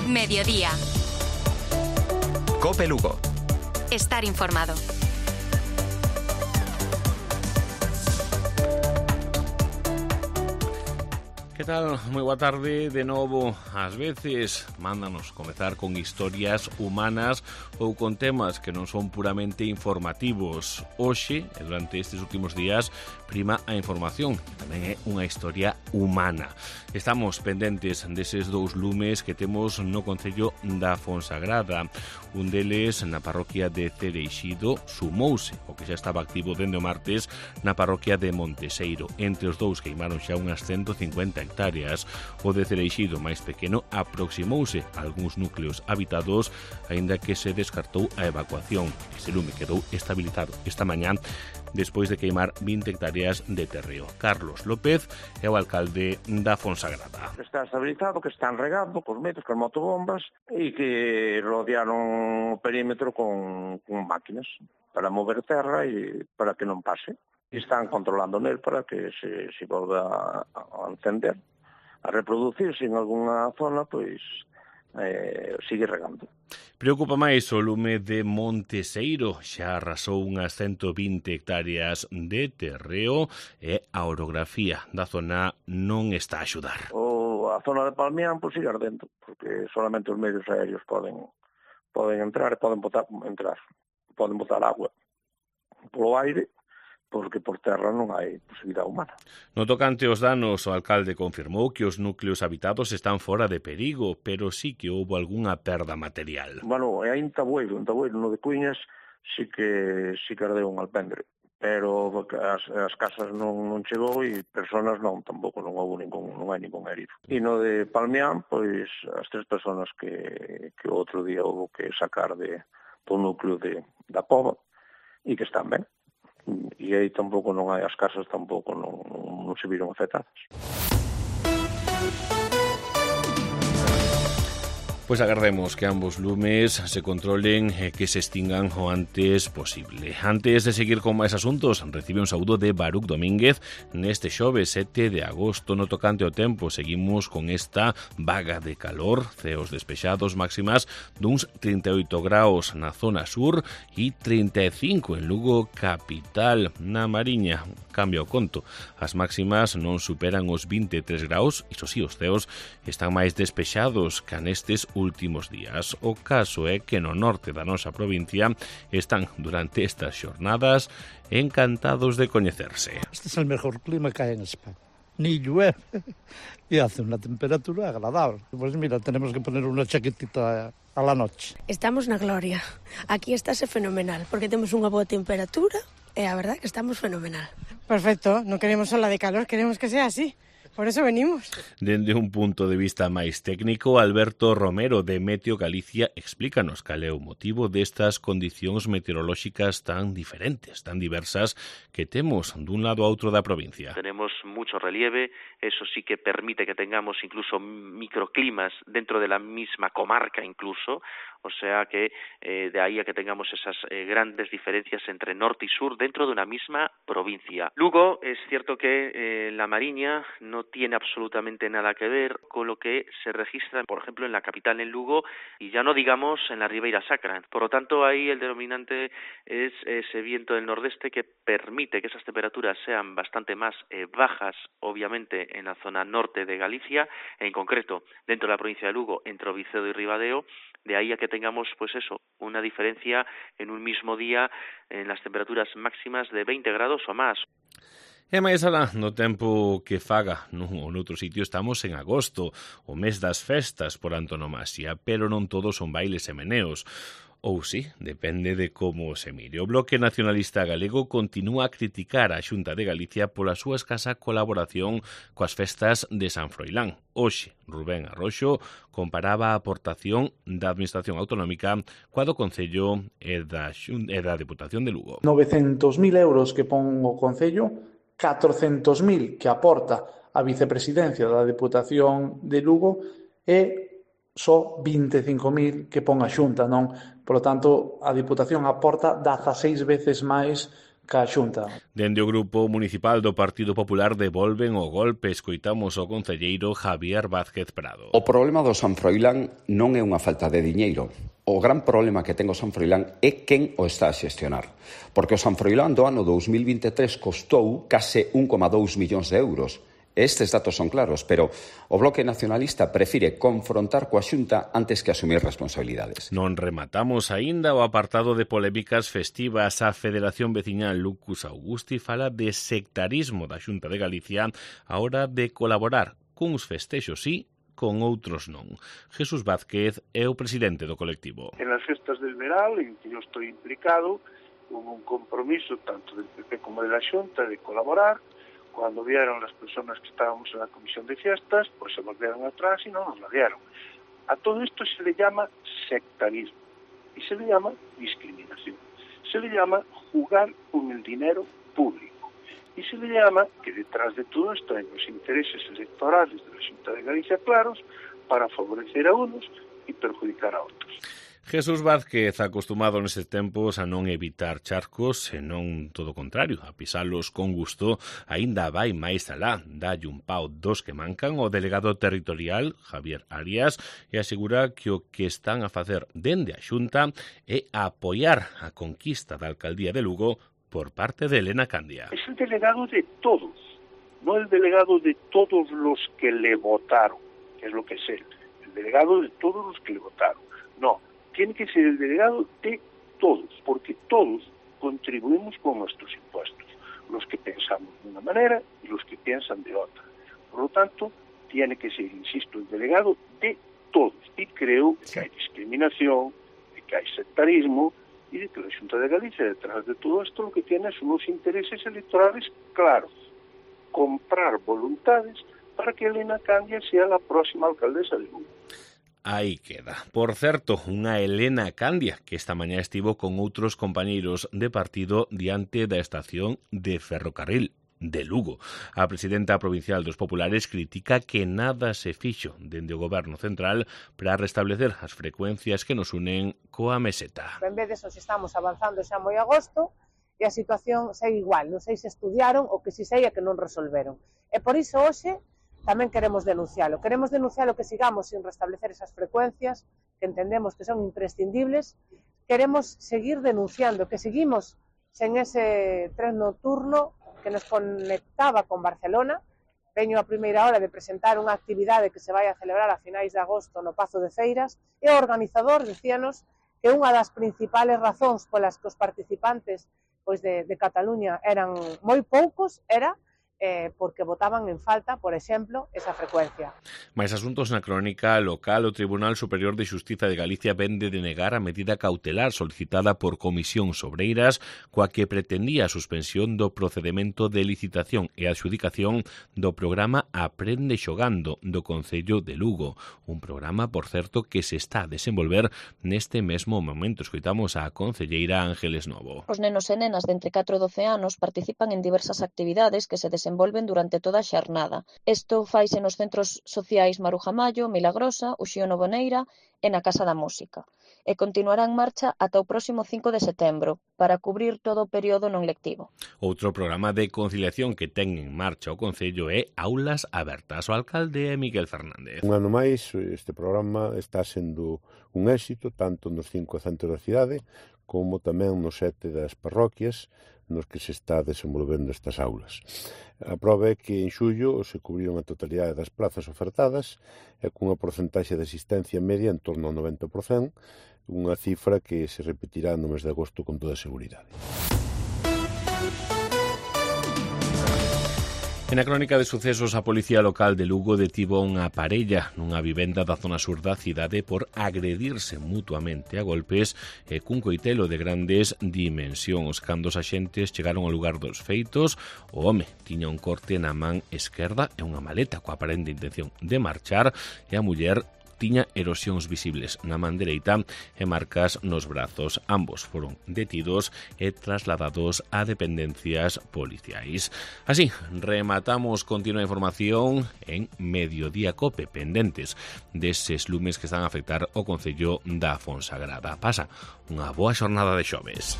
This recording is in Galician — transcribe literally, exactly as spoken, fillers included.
Mediodía. Cope Lugo. Estar informado. Que tal? Moi boa tarde de novo. Ás veces mándanos comezar con historias humanas ou con temas que non son puramente informativos. Hoxe, e durante estes últimos días, prima a información, que tamén é unha historia humana. Estamos pendentes deses dous lumes que temos no concello da Fonsagrada. Un deles na parroquia de Cereixido sumouse, o que xa estaba activo dende o martes na parroquia de Monteseiro. Entre os dous queimaron xa unhas ciento cincuenta hectáreas. O de Cereixido, máis pequeno, aproximouse a algúns núcleos habitados, aínda que se descartou a evacuación. Ese lume quedou estabilizado esta mañá despois de queimar vinte hectáreas de terreo. Carlos López é o alcalde da Fonsagrada. Está estabilizado, que están regando cos metros, con motobombas e que rodearon o perímetro con, con máquinas para mover terra e para que non pase. Están controlando nel para que se, se volva a, a encender, a reproducirse en algunha zona, pois eh, sigue regando. Preocupa máis o lume de Monteseiro, xa arrasou unhas ciento vinte hectáreas de terreo e a orografía da zona non está a axudar. O, a zona de Palmián pois sigue ardendo, porque solamente os medios aéreos poden poden entrar e poden botar, entrar, poden botar agua polo aire, porque por terra non hai posibilidade humana. No tocante aos danos, o alcalde confirmou que os núcleos habitados están fora de perigo, pero sí que houve algunha perda material. Bueno, e hai en Tabueiro, en Tabueiro, no de Cuiñas, sí que sí que ardeu un alpendre, pero as, as casas non, non chegou e personas non, tampouco non houve ningún, non hai ningún herido. E no de Palmián, pois, as tres personas que, que outro día houve que sacar de, do núcleo de, da Pova e que están ben. E aí tampouco non hai, as casas tampouco non, non se viron afectadas. Pois agardemos que ambos lumes se controlen e que se extingan o antes posible. Antes de seguir con máis asuntos, recibe un saúdo de Baruc Domínguez neste xoves sete de agosto. No tocante ao tempo, seguimos con esta vaga de calor, ceos despexados, máximas duns trinta e oito graus na zona sur e trinta e cinco en Lugo capital. Na Mariña, cambia o conto. As máximas non superan os vinte e tres graus, iso si, os ceos están máis despexados que nestes últimos días. O caso é que no norte da nosa provincia están durante estas xornadas encantados de coñecerse. Este es el mejor clima que hay en España. Ni llueve y hace una temperatura agradable. Pues mira, tenemos que poner una chaquetita a la noche. Estamos na gloria. Aquí estáse fenomenal, porque temos unha boa temperatura e a verdad que estamos fenomenal. Perfecto, non queremos ola de calor, queremos que sea así. Por eso venimos. Dende un punto de vista máis técnico, Alberto Romero de Meteo Galicia explícanos cal é o motivo destas condicións meteorolóxicas tan diferentes, tan diversas que temos dun lado a outro da provincia. Tenemos mucho relieve, eso sí que permite que tengamos incluso microclimas dentro de la misma comarca incluso, o sea que eh, de ahí a que tengamos esas eh, grandes diferencias entre norte y sur dentro de una misma provincia. Lugo, es cierto que eh, la Mariña no tiene absolutamente nada que ver con lo que se registra, por ejemplo, en la capital, en Lugo, y ya no digamos en la Ribeira Sacra. Por lo tanto, ahí el denominante es ese viento del nordeste que permite que esas temperaturas sean bastante más eh, bajas, obviamente, en la zona norte de Galicia, en concreto dentro de la provincia de Lugo, entre Ovicedo y Ribadeo. De ahí a que tengamos, pues eso, una diferencia en un mismo día en las temperaturas máximas de veinte grados o más. E máis alá, no tempo que faga nun ou noutro sitio, estamos en agosto, o mes das festas por antonomasia, pero non todos son bailes e meneos. Ou sí, depende de como se mire. O Bloque Nacionalista Galego continúa a criticar a Xunta de Galicia pola súa escasa colaboración coas festas de San Froilán. Hoxe, Rubén Arroxo comparaba a aportación da Administración Autonómica coa do Concello e da, Xun... e da Deputación de Lugo. novecentos mil euros que pon o Concello, catrocentos mil que aporta a Vicepresidencia da Deputación de Lugo e só vinte e cinco mil que pon a Xunta, non? Por lo tanto, a Diputación aporta dezaseis veces máis ca Xunta. Dende o Grupo Municipal do Partido Popular devolven o golpe. Escoitamos o concelleiro Javier Vázquez Prado. O problema do San Froilán non é unha falta de diñeiro. O gran problema que ten o San Froilán é quen o está a xestionar. Porque o San Froilán do ano dous mil vinte e tres costou case un coma dous millóns de euros. Estes datos son claros, pero o Bloque Nacionalista prefire confrontar coa Xunta antes que asumir responsabilidades. Non rematamos aínda o apartado de polémicas festivas. A Federación Veciñal Lucus Augusti fala de sectarismo da Xunta de Galicia a hora de colaborar cuns festexos sí, con outros non. Jesús Vázquez é o presidente do colectivo. En as festas del Veral, en que eu estou implicado, hubo un compromiso tanto del P P como de la Xunta de colaborar. Cuando vieron las personas que estábamos en la comisión de fiestas, pues se volvieron atrás y no nos la dieron. A todo esto se le llama sectarismo y se le llama discriminación. Se le llama jugar con el dinero público y se le llama que detrás de todo esto hay los intereses electorales de la Xunta de Galicia claros para favorecer a unos y perjudicar a otros. Jesús Vázquez, acostumado nestes tempos a non evitar charcos, senón todo o contrario, a pisalos con gusto, aínda vai máis alá, dalle un pau dos que mancan o delegado territorial, Javier Arias, e asegura que o que están a facer dende a Xunta é apoiar a conquista da alcaldía de Lugo por parte de Elena Candia. Es el delegado de todos, no el delegado de todos los que le votaron, que es lo que es él, el delegado de todos los que le votaron, no. Tiene que ser el delegado de todos, porque todos contribuimos con nuestros impuestos, los que pensamos de una manera y los que piensan de otra. Por lo tanto, tiene que ser, insisto, el delegado de todos. Y creo que hay discriminación, de que hay sectarismo y de que la Xunta de Galicia, detrás de todo esto, lo que tiene son unos intereses electorales claros. Comprar voluntades para que Elena Candia sea la próxima alcaldesa de Lugo. Aí queda. Por certo, unha Elena Candia que esta mañá estivo con outros compañeiros de partido diante da estación de ferrocarril de Lugo. A presidenta provincial dos Populares critica que nada se fixo dende o goberno central para restablecer as frecuencias que nos unen coa meseta. En vez de eso, estamos avanzando xa moi agosto e a situación segue igual. Non sei se estudiaron ou que si sei é que non resolveron. E por iso hoxe tamén queremos denuncialo. Queremos denuncialo que sigamos sin restablecer esas frecuencias que entendemos que son imprescindibles. Queremos seguir denunciando que seguimos sen ese tren nocturno que nos conectaba con Barcelona. Veño a primeira hora de presentar unha actividade que se vai a celebrar a finais de agosto no Pazo de Feiras e o organizador dicíanos que unha das principales razóns polas que os participantes pois de, de Cataluña eran moi poucos era Eh, porque votaban en falta, por exemplo, esa frecuencia. Mais asuntos na crónica local, o Tribunal Superior de Xustiza de Galicia vende de negar a medida cautelar solicitada por Comisión Sobreiras coa que pretendía a suspensión do procedemento de licitación e adxudicación do programa Aprende Xogando do Concello de Lugo, un programa, por certo, que se está a desenvolver neste mesmo momento. Escoitamos a concelleira Ángeles Novo. Os nenos e nenas de entre catro e doce anos participan en diversas actividades que se desenvolven envolven durante toda a xornada. Isto faise nos centros sociais Maruja Mallo, Milagrosa, Uxío Novoneira e na Casa da Música. E continuará en marcha ata o próximo cinco de setembro para cubrir todo o período non lectivo. Outro programa de conciliación que ten en marcha o Concello é Aulas Abertas. O alcalde é Miguel Fernández. Un ano máis, este programa está sendo un éxito tanto nos cinco centros da cidade como tamén nos sete das parroquias nos que se está desenvolvendo estas aulas. A prova é que en xullo se cubriron a totalidade das plazas ofertadas e cunha porcentaxe de asistencia media en torno ao noventa por cento, unha cifra que se repetirá no mes de agosto con toda seguridade. En a crónica de sucesos, a Policía Local de Lugo detivo unha parella nunha vivenda da zona sur da cidade por agredirse mutuamente a golpes e cun coitelo de grandes dimensións. Cando os axentes chegaron ao lugar dos feitos, o home tiña un corte na man esquerda e unha maleta coa aparente intención de marchar e a muller tiña erosións visibles na man dereita e marcas nos brazos. Ambos foron detidos e trasladados a dependencias policiais. Así, rematamos continua información en Mediodía Cope, pendentes deses lumes que están a afectar o Concello da Fonsagrada. Pasa unha boa xornada de xoves.